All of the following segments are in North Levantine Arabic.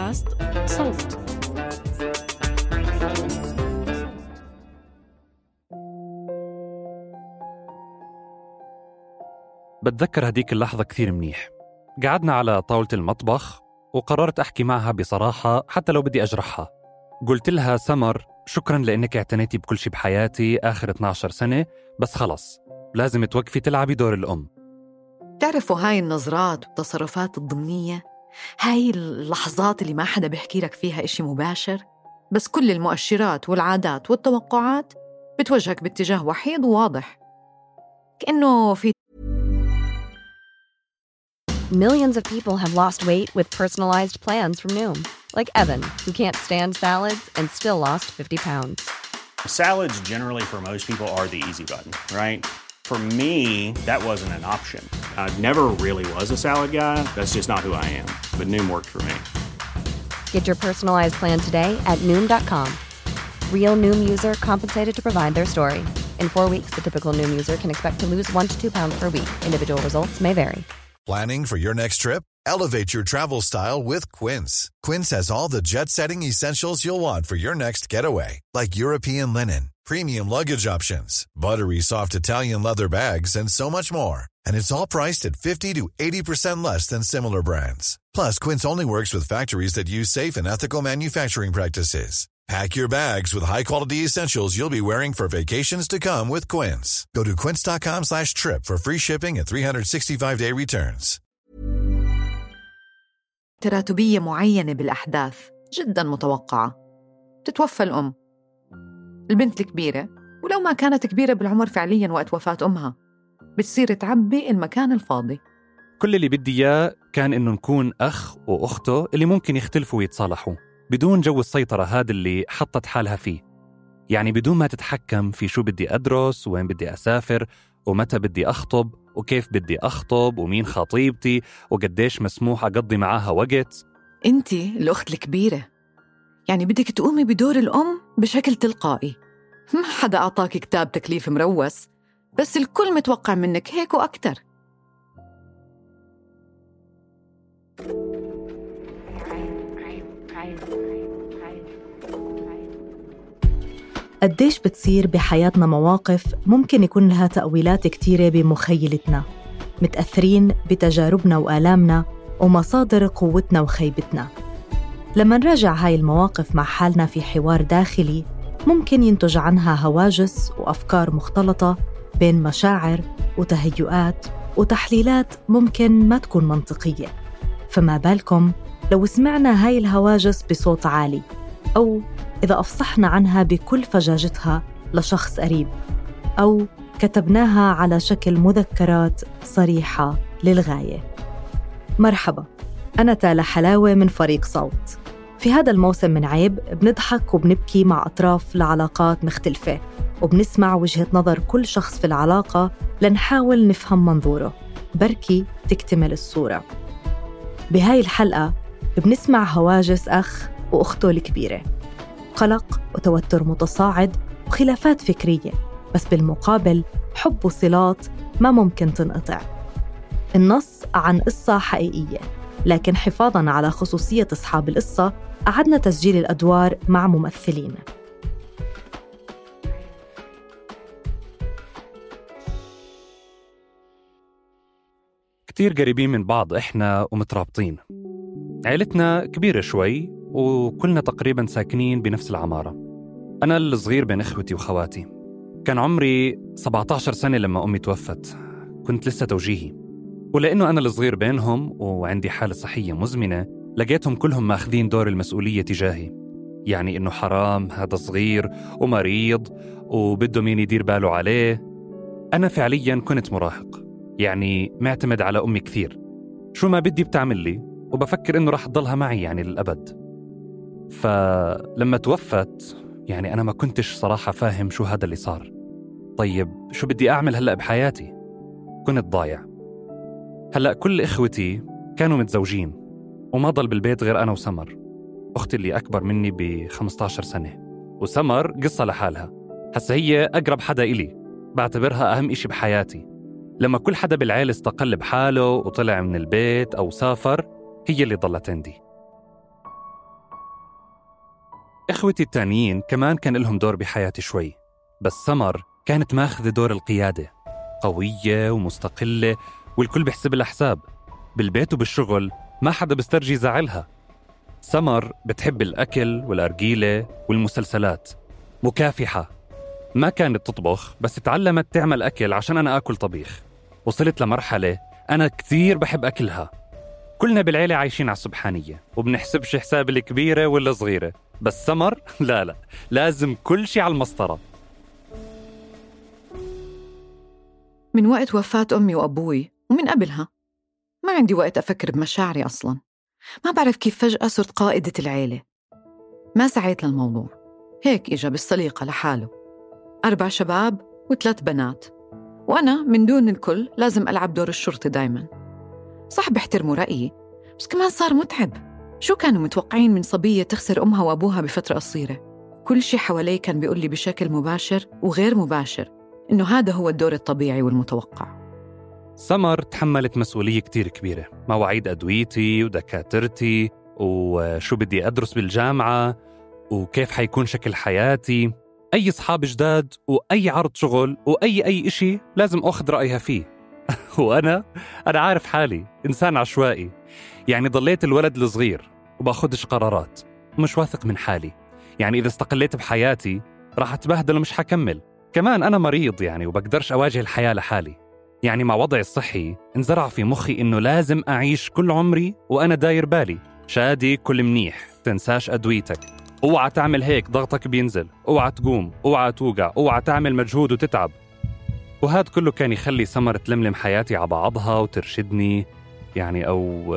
بودكاست صوت. بتذكر هديك اللحظة كثير منيح. قعدنا على طاولة المطبخ وقررت أحكي معها بصراحة حتى لو بدي أجرحها. قلت لها سمر، شكراً لأنك اعتنيتي بكل شي بحياتي آخر 12 سنة، بس خلص لازم توقفي تلعبي دور الأم. تعرفوا هاي النظرات والتصرفات الضمنية، هاي اللحظات اللي ما حدا بيحكي لك فيها إشي مباشر، بس كل المؤشرات والعادات والتوقعات بتوجهك باتجاه وحيد وواضح، كأنه في Millions of people have lost weight with personalized plans from Noom. Like Evan, who can't stand salads and still lost 50 pounds. Salads generally for most people are the easy button, right? For me, that wasn't an option. I never really was a salad guy. That's just not who I am. But Noom worked for me. Get your personalized plan today at Noom.com. Real Noom user compensated to provide their story. In 4 weeks, the typical Noom user can expect to lose 1 to 2 pounds per week. Individual results may vary. Planning for your next trip? Elevate your travel style with Quince. Quince has all the jet-setting essentials you'll want for your next getaway, like European linen, premium luggage options, buttery soft Italian leather bags, and so much more. And it's all priced at 50 to 80% less than similar brands. Plus, Quince only works with factories that use safe and ethical manufacturing practices. Pack your bags with high-quality essentials you'll be wearing for vacations to come with Quince. Go to quince.com/trip for free shipping and 365-day returns. تراتبية معينة بالأحداث جداً متوقعة. تتوفى الأم، البنت الكبيرة، ولو ما كانت كبيرة بالعمر فعلياً وقت وفاة أمها، بتصير تعبي المكان الفاضي. كل اللي بدي إياه كان إنه نكون أخ وأخته اللي ممكن يختلفوا ويتصالحوا بدون جو السيطرة هذا اللي حطت حالها فيه. يعني بدون ما تتحكم في شو بدي أدرس وين بدي أسافر ومتى بدي أخطب وكيف بدي أخطب ومين خطيبتي وقديش مسموح أقضي معاها وقت. أنتي الأخت الكبيرة، يعني بدك تقومي بدور الأم بشكل تلقائي. ما حدا أعطاك كتاب تكليف مروس، بس الكل متوقع منك هيك وأكتر. قديش بتصير بحياتنا مواقف ممكن يكون لها تأويلات كتيرة بمخيلتنا، متأثرين بتجاربنا وآلامنا ومصادر قوتنا وخيبتنا. لما نراجع هاي المواقف مع حالنا في حوار داخلي، ممكن ينتج عنها هواجس وأفكار مختلطة بين مشاعر وتهيؤات وتحليلات ممكن ما تكون منطقية. فما بالكم لو سمعنا هاي الهواجس بصوت عالي، أو إذا أفصحنا عنها بكل فجاجتها لشخص قريب، أو كتبناها على شكل مذكرات صريحة للغاية. مرحبا، أنا تالا حلاوة من فريق صوت. في هذا الموسم من عيب بنضحك وبنبكي مع أطراف لعلاقات مختلفة، وبنسمع وجهة نظر كل شخص في العلاقة لنحاول نفهم منظوره، بركي تكتمل الصورة. بهاي الحلقة بنسمع هواجس أخ وأخته الكبيرة، قلق وتوتر متصاعد وخلافات فكرية، بس بالمقابل حب وصلات ما ممكن تنقطع. النص عن قصة حقيقية، لكن حفاظاً على خصوصية أصحاب القصة أعدنا تسجيل الأدوار مع ممثلين. كتير قريبين من بعض إحنا ومترابطين. عيلتنا كبيرة شوي وكلنا تقريباً ساكنين بنفس العمارة. أنا الصغير بين إخوتي وخواتي. كان عمري 17 سنة لما أمي توفت، كنت لسه توجيهي، ولأنه أنا الصغير بينهم وعندي حالة صحية مزمنة، لقيتهم كلهم ماخذين دور المسؤولية تجاهي. يعني إنه حرام هذا صغير ومريض وبده مين يدير باله عليه. أنا فعلياً كنت مراهق، يعني معتمد على أمي كثير، شو ما بدي بتعمل لي، وبفكر إنه راح تضلها معي يعني للأبد. فلما توفت يعني أنا ما كنتش صراحة فاهم شو هذا اللي صار. طيب شو بدي أعمل هلأ بحياتي؟ كنت ضايع. هلأ كل إخوتي كانوا متزوجين وما ضل بالبيت غير أنا وسمر، أختي اللي أكبر مني ب15 سنة. وسمر قصة لحالها، هسا هي أقرب حدا إلي، بعتبرها أهم إشي بحياتي. لما كل حدا بالعيلة استقل بحاله وطلع من البيت أو سافر، هي اللي ضلت عندي. إخوتي التانيين كمان كان لهم دور بحياتي شوي، بس سمر كانت ماخذة دور القيادة، قوية ومستقلة والكل بيحسب لها حساب. بالبيت وبالشغل ما حدا بيسترجي زعلها. سمر بتحب الأكل والأرجيلة والمسلسلات، مكافحة. ما كانت تطبخ بس تعلمت تعمل أكل عشان أنا آكل طبيخ. وصلت لمرحلة أنا كتير بحب أكلها. كلنا بالعيلة عايشين على السبحانية وبنحسبش حساب الكبيرة ولا صغيرة، بس سمر لا لازم كل شي على المسطرة. من وقت وفاة أمي وأبوي ومن قبلها ما عندي وقت أفكر بمشاعري أصلاً. ما بعرف كيف فجأة صرت قائدة العيلة. ما سعيت للموضوع، هيك إجا بالسليقة لحاله. 4 شباب و3 بنات، وأنا من دون الكل لازم ألعب دور الشرطي دايماً. صح بحترموا رأيي، بس كمان صار متعب. شو كانوا متوقعين من صبية تخسر أمها وأبوها بفترة قصيرة؟ كل شي حوالي كان بيقول لي بشكل مباشر وغير مباشر إنه هذا هو الدور الطبيعي والمتوقع. سمر تحملت مسؤولية كتير كبيرة، مواعيد أدويتي ودكاترتي وشو بدي أدرس بالجامعة وكيف حيكون شكل حياتي. أي صحاب جداد وأي عرض شغل وأي إشي لازم أخذ رأيها فيه. وأنا عارف حالي إنسان عشوائي، يعني ضليت الولد الصغير وباخدش قرارات، مش واثق من حالي. يعني إذا استقليت بحياتي راح أتبهدل ومش حكمل. كمان أنا مريض يعني وبقدرش أواجه الحياة لحالي. يعني مع وضعي الصحي انزرع في مخي إنه لازم أعيش كل عمري وأنا داير بالي شادي كل منيح، تنساش أدويتك، اوعى تعمل هيك ضغطك بينزل، اوعى تقوم، اوعى توقع، اوعى تعمل مجهود وتتعب. وهذا كله كان يخلي سمر تلملم حياتي على بعضها وترشدني يعني، أو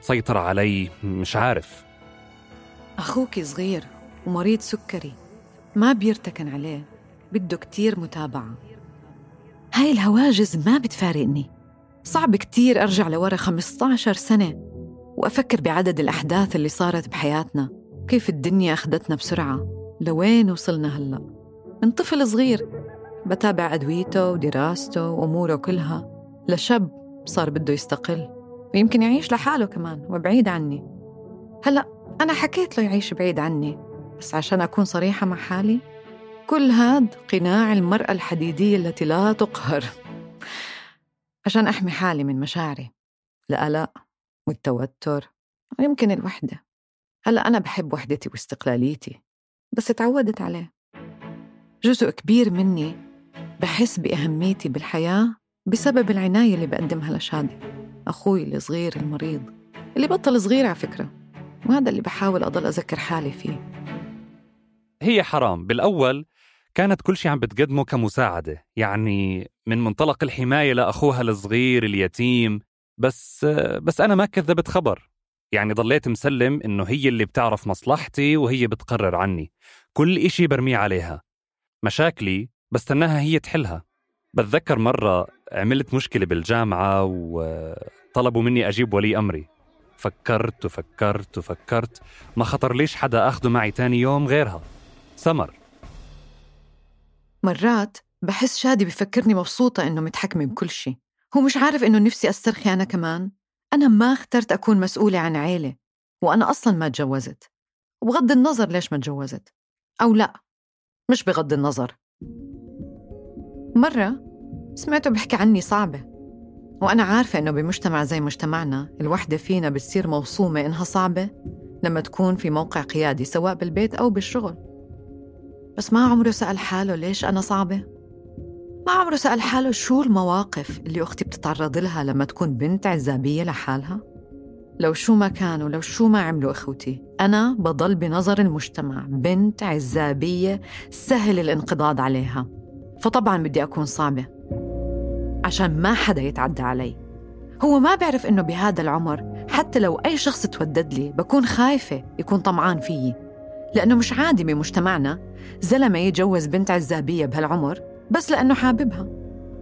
تسيطر علي، مش عارف. أخوك صغير ومريض سكري، ما بيرتكن عليه، بده كتير متابعة. هاي الهواجس ما بتفارقني. صعب كتير أرجع لورا 15 سنة وأفكر بعدد الأحداث اللي صارت بحياتنا، كيف الدنيا أخدتنا بسرعة لوين وصلنا هلأ. من طفل صغير بتابع أدويته ودراسته وأموره كلها، لشاب صار بده يستقل ويمكن يعيش لحاله كمان وبعيد عني. هلأ أنا حكيت له يعيش بعيد عني، بس عشان أكون صريحة مع حالي، كل هاد قناع المرأة الحديدية التي لا تقهر، عشان أحمي حالي من مشاعري، القلق والتوتر ويمكن الوحدة. هلأ أنا بحب وحدتي واستقلاليتي، بس تعودت عليه. جزء كبير مني بحس بأهميتي بالحياة بسبب العناية اللي بقدمها لشادي، أخوي الصغير المريض اللي بطل صغير على فكرة، وهذا اللي بحاول أضل أذكر حالي فيه. هي حرام بالأول كانت كل شيء عم بتقدمه كمساعدة، يعني من منطلق الحماية لأخوها الصغير اليتيم، بس أنا ما كذبت خبر. يعني ضليت مسلم إنه هي اللي بتعرف مصلحتي وهي بتقرر عني، كل إشي برميه عليها، مشاكلي بستناها هي تحلها. بتذكر مرة عملت مشكلة بالجامعة وطلبوا مني أجيب ولي أمري. فكرت ما خطر ليش حدا أخده معي تاني يوم غيرها، سمر. مرات بحس شادي بفكرني مبسوطة إنه متحكمة بكل شيء، هو مش عارف إنه نفسي أسترخي أنا كمان. أنا ما اخترت أكون مسؤولة عن عيلة، وأنا أصلاً ما تجوزت، وبغض النظر ليش ما تجوزت أو لا، مش بغض النظر. مرة سمعته بحكي عني صعبة، وأنا عارفة إنه بمجتمع زي مجتمعنا الوحدة فينا بتصير موصومة إنها صعبة لما تكون في موقع قيادي سواء بالبيت أو بالشغل. بس ما عمره سأل حاله ليش أنا صعبة؟ ما عمره سأل حاله شو المواقف اللي أختي بتتعرض لها لما تكون بنت عزابية لحالها؟ لو شو ما كانوا، لو شو ما عملوا إخوتي، أنا بضل بنظر المجتمع بنت عزابية سهل الانقضاض عليها. فطبعاً بدي أكون صعبة عشان ما حدا يتعدى علي. هو ما بيعرف إنه بهذا العمر حتى لو أي شخص تودد لي بكون خايفة يكون طمعان فيي، لأنه مش عادي بمجتمعنا زلمة يتجوز بنت عزابية بهالعمر بس لأنه حاببها.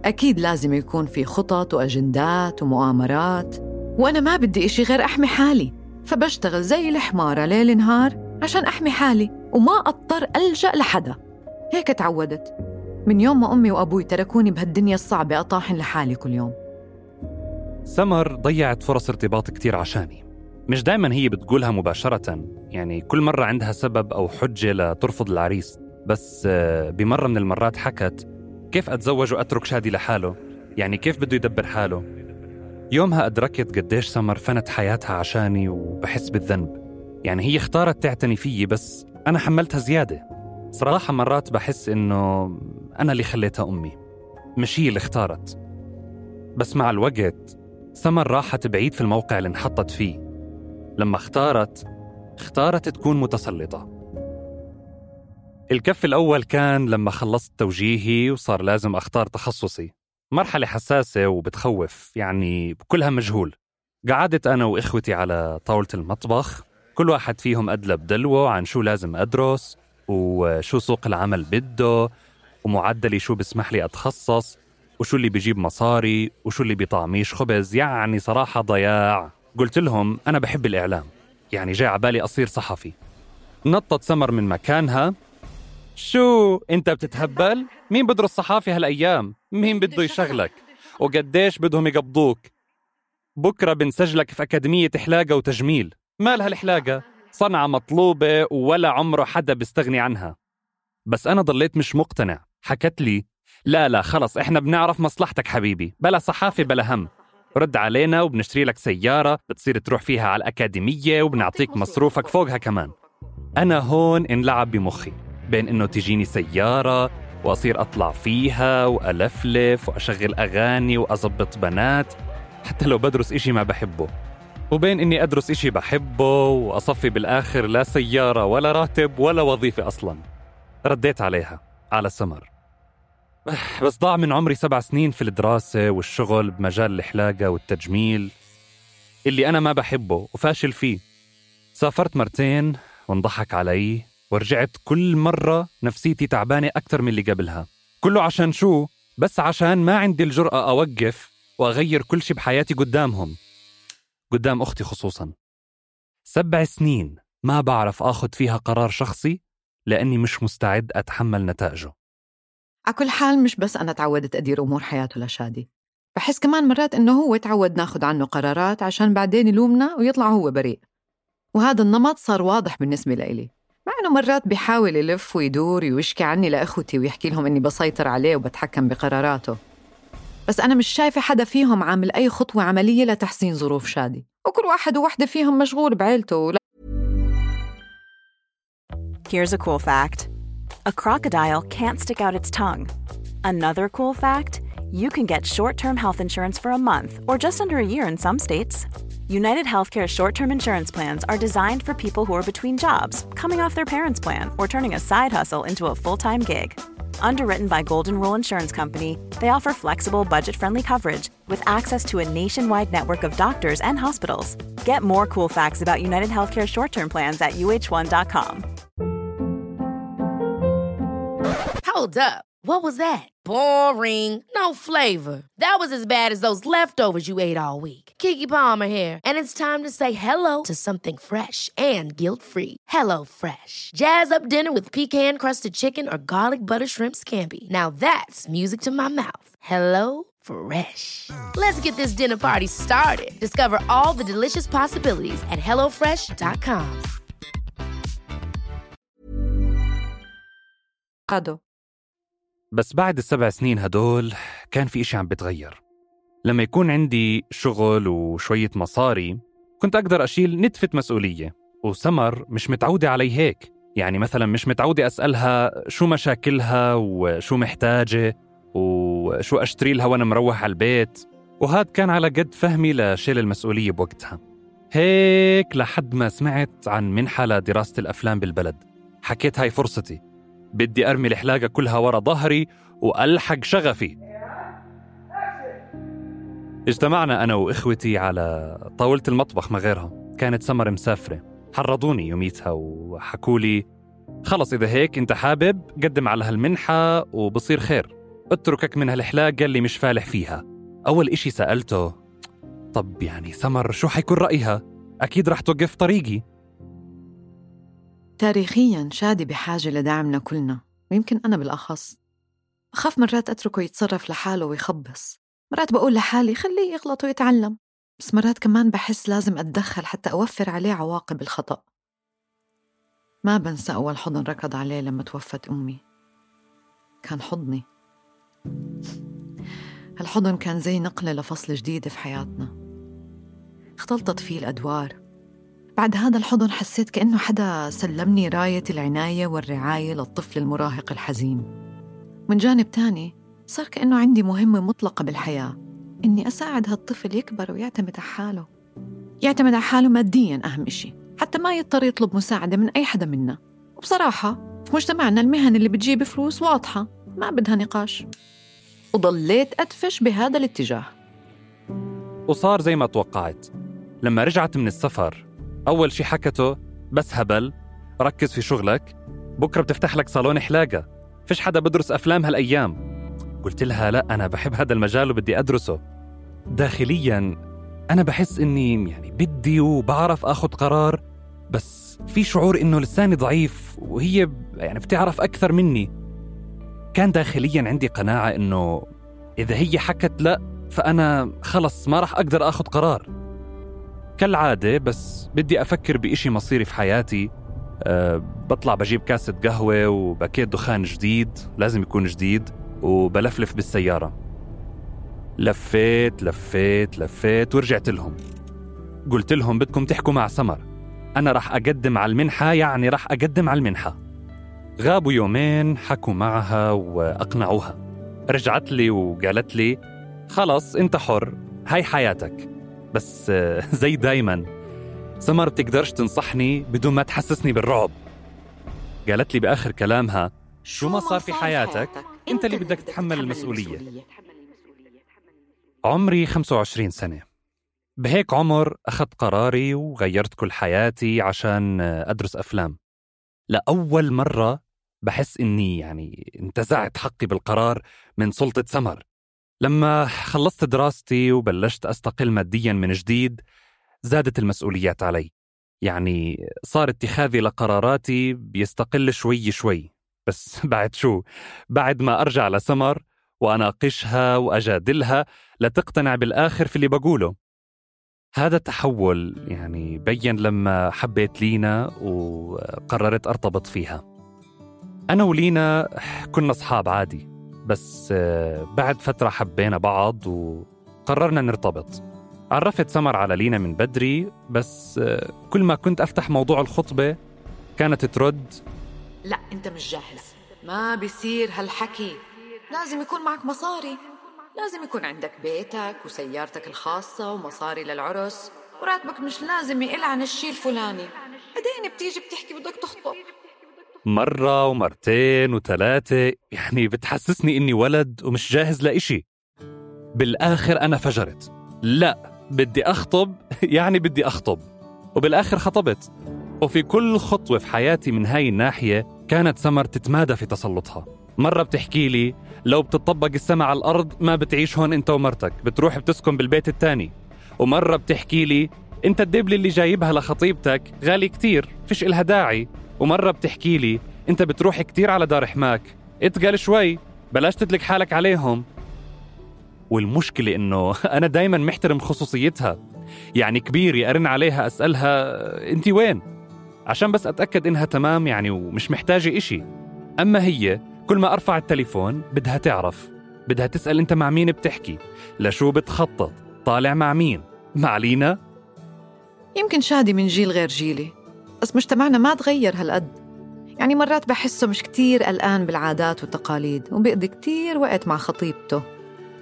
أكيد لازم يكون في خطط وأجندات ومؤامرات، وأنا ما بدي إشي غير أحمي حالي، فبشتغل زي الحمارة ليل نهار عشان أحمي حالي وما أضطر ألجأ لحدا. هيك تعودت من يوم ما أمي وأبوي تركوني بهالدنيا الصعبة أطاحن لحالي كل يوم. سمر ضيعت فرص ارتباط كتير عشاني، مش دايما هي بتقولها مباشرة، يعني كل مرة عندها سبب أو حجة لترفض العريس. بس بمرة من المرات حكت كيف أتزوج وأترك شادي لحاله، يعني كيف بده يدبر حاله. يومها أدركت قديش سمر فنت حياتها عشاني وبحس بالذنب. يعني هي اختارت تعتني فيي بس أنا حملتها زيادة. صراحة مرات بحس إنه أنا اللي خليتها أمي، مش هي اللي اختارت. بس مع الوقت سمر راحت بعيد في الموقع اللي انحطت فيه. لما اختارت تكون متسلطة. الكف الأول كان لما خلصت توجيهي وصار لازم أختار تخصصي. مرحلة حساسة وبتخوف، يعني بكلها مجهول. قعدت أنا وإخوتي على طاولة المطبخ، كل واحد فيهم أدلى بدلوه عن شو لازم أدرس وشو سوق العمل بده ومعدلي شو بسمح لي أتخصص وشو اللي بيجيب مصاري وشو اللي بيطعميش خبز. يعني صراحة ضياع. قلت لهم أنا بحب الإعلام، يعني جاي عبالي أصير صحفي. نطت سمر من مكانها. شو أنت بتتهبل؟ مين بدرس صحافي هالأيام؟ مين بده يشغلك؟ وقديش بدهم يقبضوك؟ بكرة بنسجلك في أكاديمية حلاقة وتجميل. مالها الحلاقة؟ صنعة مطلوبة ولا عمره حدا بيستغني عنها. بس أنا ضليت مش مقتنع. حكت لي لا خلص إحنا بنعرف مصلحتك حبيبي، بلا صحافة بلا هم. رد علينا وبنشتري لك سيارة بتصير تروح فيها على الأكاديمية وبنعطيك مصروفك فوقها كمان. أنا هون انلعب بمخي بين إنه تجيني سيارة وأصير أطلع فيها وألفلف وأشغل أغاني وأزبط بنات حتى لو بدرس إشي ما بحبه، وبين إني أدرس إشي بحبه وأصفي بالآخر لا سيارة ولا راتب ولا وظيفة أصلاً. رديت عليها على سمر. بس ضاع من عمري 7 سنين في الدراسة والشغل بمجال الحلاقة والتجميل اللي أنا ما بحبه وفاشل فيه. سافرت مرتين وانضحك علي ورجعت كل مرة نفسيتي تعبانة أكتر من اللي قبلها. كله عشان شو؟ بس عشان ما عندي الجرأة أوقف وأغير كل شي بحياتي قدامهم، قدام أختي خصوصاً. 7 سنين ما بعرف أخذ فيها قرار شخصي لأني مش مستعد أتحمل نتائجه. على كل حال مش بس أنا تعودت أدير أمور حياته لشادي، بحس كمان مرات إنه هو تعود ناخد عنه قرارات عشان بعدين يلومنا ويطلع هو بريء. وهذا النمط صار واضح بالنسبة لإلي، مع إنه مرات بيحاول يلف ويدور ويشكي عني لأخوتي ويحكي لهم إني بسيطر عليه وبتحكم بقراراته. بس أنا مش شايفة حدا فيهم عامل أي خطوة عملية لتحسين ظروف شادي، وكل واحد وواحدة فيهم مشغول بعيلته. Here's a cool fact. A crocodile can't stick out its tongue. Another cool fact, you can get short-term health insurance for a month or just under a year in some states. United Healthcare short-term insurance plans are designed for people who are between jobs, coming off their parents' plan, or turning a side hustle into a full-time gig. Underwritten by Golden Rule Insurance Company, they offer flexible, budget-friendly coverage with access to a nationwide network of doctors and hospitals. Get more cool facts about United Healthcare short-term plans at uh1.com. Hold up. What was that? Boring. No flavor. That was as bad as those leftovers you ate all week. Keke Palmer here, and it's time to say hello to something fresh and guilt-free. Hello Fresh. Jazz up dinner with pecan-crusted chicken or garlic butter shrimp scampi. Now that's music to my mouth. Hello Fresh. Let's get this dinner party started. Discover all the delicious possibilities at hellofresh.com. بس بعد ال7 سنين هدول كان في إشي عم بتغير. لما يكون عندي شغل وشوية مصاري كنت أقدر أشيل نتفة مسؤولية، وسمر مش متعودة علي هيك. يعني مثلا مش متعودة أسألها شو مشاكلها وشو محتاجة وشو أشتري لها وأنا مروح على البيت، وهذا كان على قد فهمي لشيل المسؤولية بوقتها. هيك لحد ما سمعت عن منحة لدراسة الأفلام بالبلد. حكيت هاي فرصتي، بدي أرمي الحلاقة كلها ورا ظهري وألحق شغفي. اجتمعنا أنا وإخوتي على طاولة المطبخ ما غيرها. كانت سمر مسافرة، حرضوني يوميتها وحكولي خلص إذا هيك أنت حابب قدم على هالمنحة وبصير خير، اتركك من هالحلاقة اللي مش فالح فيها. أول إشي سألته طب يعني سمر شو حيكون رأيها؟ أكيد رح توقف طريقي. تاريخياً شادي بحاجة لدعمنا كلنا، ويمكن أنا بالأخص. أخاف مرات أتركه يتصرف لحاله ويخبص. مرات بقول لحالي خليه يغلط ويتعلم، بس مرات كمان بحس لازم أتدخل حتى أوفر عليه عواقب الخطأ. ما بنسى أول حضن ركض عليه لما توفت أمي، كان حضني. هالحضن كان زي نقلة لفصل جديد في حياتنا، اختلطت فيه الأدوار. بعد هذا الحضن حسيت كأنه حدا سلمني راية العناية والرعاية للطفل المراهق الحزين. من جانب تاني صار كأنه عندي مهمة مطلقة بالحياة، إني أساعد هالطفل يكبر ويعتمد على حاله، يعتمد على حاله مادياً أهم إشي، حتى ما يضطر يطلب مساعدة من أي حدا منا. وبصراحة في مجتمعنا المهن اللي بتجيب فلوس واضحة ما بدها نقاش، وضليت أدفش بهذا الاتجاه. وصار زي ما توقعت. لما رجعت من السفر أول شي حكته بس هبل، ركز في شغلك، بكرة بتفتح لك صالون حلاقة، فيش حدا بدرس أفلام هالأيام. قلت لها لا، أنا بحب هذا المجال وبدي أدرسه. داخلياً أنا بحس إني يعني بدي وبعرف أخذ قرار، بس في شعور إنه لساني ضعيف وهي يعني بتعرف أكثر مني. كان داخلياً عندي قناعة إنه إذا هي حكت لا فأنا خلص ما رح أقدر أخذ قرار. كالعادة بس بدي أفكر بإشي مصيري في حياتي، بطلع بجيب كاسة قهوة وباكيت دخان جديد، لازم يكون جديد، وبلفلف بالسيارة. لفيت ورجعت لهم. قلت لهم بدكم تحكوا مع سمر، أنا رح أقدم على المنحة، يعني رح أقدم على المنحة. غابوا يومين، حكوا معها وأقنعوها. رجعت لي وقالت لي خلص أنت حر، هاي حياتك. بس زي دايما سمر بتقدرش تنصحني بدون ما تحسسني بالرعب. قالت لي بآخر كلامها شو ما صار في حياتك أنت اللي بدك تتحمل المسؤولية. عمري 25 سنة. بهيك عمر أخذت قراري وغيرت كل حياتي عشان أدرس أفلام. لأول مرة بحس إني يعني انتزعت حقي بالقرار من سلطة سمر. لما خلصت دراستي وبلشت أستقل مادياً من جديد، زادت المسؤوليات علي. يعني صار اتخاذي لقراراتي بيستقل شوي شوي. بس بعد شو؟ بعد ما أرجع لسمر وأناقشها وأجادلها لتقتنع بالآخر في اللي بقوله. هذا التحول يعني بين لما حبيت لينا وقررت أرتبط فيها. أنا ولينا كنا أصحاب عادي، بس بعد فترة حبينا بعض وقررنا نرتبط. عرفت سمر على لينا من بدري، بس كل ما كنت أفتح موضوع الخطبة كانت ترد لا أنت مش جاهز، ما بيصير هالحكي، لازم يكون معك مصاري، لازم يكون عندك بيتك وسيارتك الخاصة ومصاري للعرس، وراتبك مش لازم يقل عن الشيء الفلاني، بعدين بتيجي بتحكي بدك تخطب. مرة ومرتين وثلاثة، يعني بتحسسني إني ولد ومش جاهز لإشي. بالآخر أنا فجرت، لا بدي أخطب، يعني بدي أخطب. وبالآخر خطبت. وفي كل خطوة في حياتي من هاي الناحية كانت سمر تتمادى في تسلطها. مرة بتحكي لي لو بتطبق السماء على الأرض ما بتعيش هون أنت ومرتك، بتروح بتسكن بالبيت التاني. ومرة بتحكي لي أنت الدبل اللي جايبها لخطيبتك غالي كتير، فيش إلها داعي. ومرة بتحكي لي أنت بتروح كتير على دار حماك، اتقل شوي بلاش تتلك حالك عليهم. والمشكلة إنه أنا دايما محترم خصوصيتها. يعني كبيري أرن عليها أسألها أنتي وين، عشان بس أتأكد إنها تمام يعني ومش محتاجة إشي. أما هي كل ما أرفع التليفون بدها تعرف، بدها تسأل أنت مع مين بتحكي، لشو بتخطط، طالع مع مين، مع لينا. يمكن شادي من جيل غير جيلي، بس مجتمعنا ما تغير هالقد. يعني مرات بحسه مش كتير قلقان بالعادات والتقاليد وبيقضي كتير وقت مع خطيبته.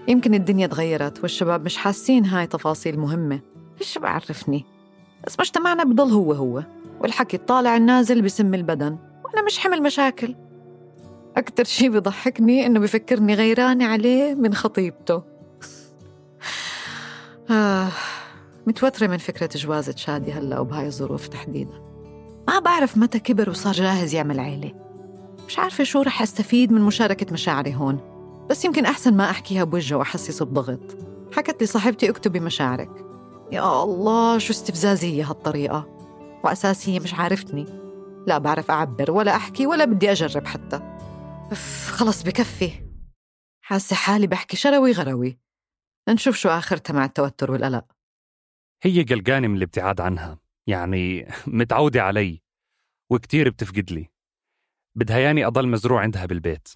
يمكن الدنيا تغيرت والشباب مش حاسين هاي تفاصيل مهمة، إيش بعرفني. بس مجتمعنا بضل هو والحكي الطالع النازل بسم البدن، وأنا مش حمل مشاكل. أكتر شي بيضحكني إنه بيفكرني غيراني عليه من خطيبته. متوترة من فكرة جوازة شادي هلأ وبهاي الظروف تحديدا. ما بعرف متى كبر وصار جاهز يعمل عيلة. مش عارفة شو رح أستفيد من مشاركة مشاعري هون، بس يمكن أحسن ما أحكيها بوجهه وأحسسه بضغط. حكت لي صاحبتي اكتبي مشاعرك. يا الله شو استفزازية هالطريقة، وأساسية مش عارفتني، لا بعرف أعبر ولا أحكي ولا بدي أجرب حتى. خلص بكفي، حاسة حالي بحكي شروي غروي. نشوف شو آخرتها مع التوتر والقلق. هي قلقانة من الابتعاد عنها، يعني متعودة علي وكتير بتفقد لي. بدها ياني أضل مزروع عندها بالبيت.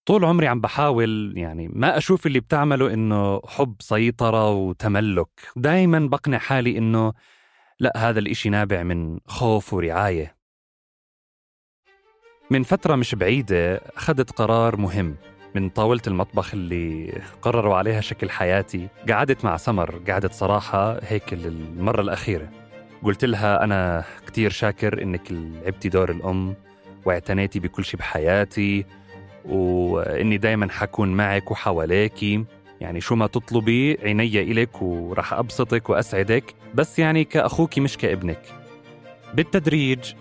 طول عمري عم بحاول يعني ما أشوف اللي بتعمله إنه حب سيطرة وتملك. دايما بقنع حالي إنه لا، هذا الإشي نابع من خوف ورعاية. من فترة مش بعيدة أخذت قرار مهم. من طاولة المطبخ اللي قرروا عليها شكل حياتي قعدت مع سمر، قعدت صراحة هيك المرة الأخيرة. قلت لها أنا كتير شاكر إنك لعبتي دور الأم واعتنيتي بكل شي بحياتي، وإني دايما حكون معك وحواليكي، يعني شو ما تطلبي عيني إلك ورح أبسطك وأسعدك، بس يعني كأخوكي مش كابنك. بالتدريج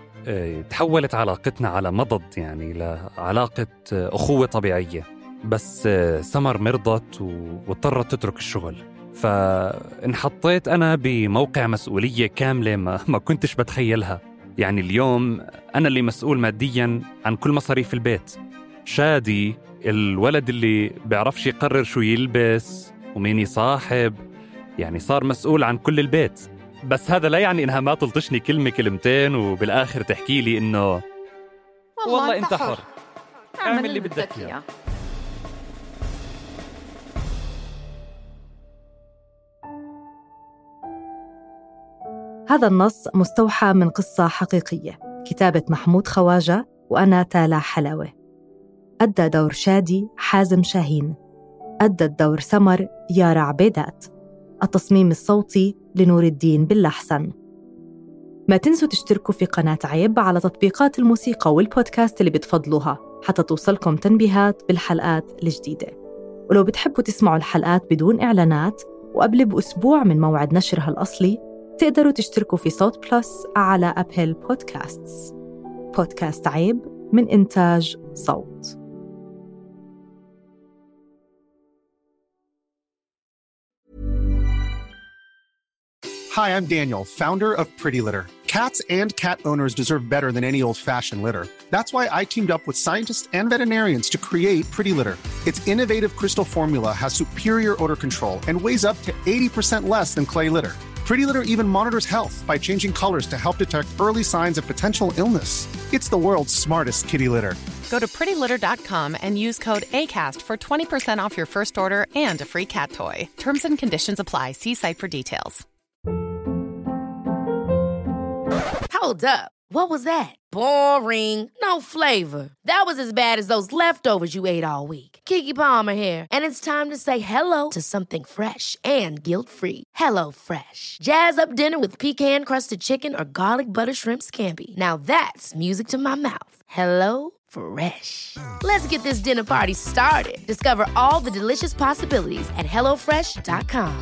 تحولت علاقتنا على مضض، يعني لعلاقة أخوة طبيعية. بس سمر مرضت واضطرت تترك الشغل، فانحطيت أنا بموقع مسؤولية كاملة ما كنتش بتخيلها. يعني اليوم أنا اللي مسؤول مادياً عن كل مصاريف البيت. شادي الولد اللي بيعرفش يقرر شو يلبس ومين يصاحب، يعني صار مسؤول عن كل البيت. بس هذا لا يعني إنها ما تلطشني كلمة كلمتين وبالآخر تحكي لي إنه والله أنت حر، اعمل اللي بدك إياه. هذا النص مستوحى من قصة حقيقية، كتابة محمود خواجة وأنا تالا حلاوة. أدى دور شادي حازم شاهين، أدت دور سمر يارا عبيدات، التصميم الصوتي لنور الدين باللحسن. ما تنسوا تشتركوا في قناة عيب على تطبيقات الموسيقى والبودكاست اللي بتفضلوها حتى توصلكم تنبيهات بالحلقات الجديدة. ولو بتحبوا تسمعوا الحلقات بدون إعلانات وقبل بأسبوع من موعد نشرها الأصلي، تقدروا تشتركوا في صوت بلس على أبل بودكاستس. بودكاست عيب من إنتاج صوت. Hi, I'm Daniel, founder of Pretty Litter. Cats and cat owners deserve better than any old-fashioned litter. That's why I teamed up with scientists and veterinarians to create Pretty Litter. Its innovative crystal formula has superior odor control and weighs up to 80% less than clay litter. Pretty Litter even monitors health by changing colors to help detect early signs of potential illness. It's the world's smartest kitty litter. Go to prettylitter.com and use code ACAST for 20% off your first order and a free cat toy. Terms and conditions apply. See site for details. Hold up. What was that? Boring. No flavor. That was as bad as those leftovers you ate all week. Keke Palmer here, and it's time to say hello to something fresh and guilt-free. Hello Fresh. Jazz up dinner with pecan-crusted chicken or garlic butter shrimp scampi. Now that's music to my mouth. Hello Fresh. Let's get this dinner party started. Discover all the delicious possibilities at HelloFresh.com.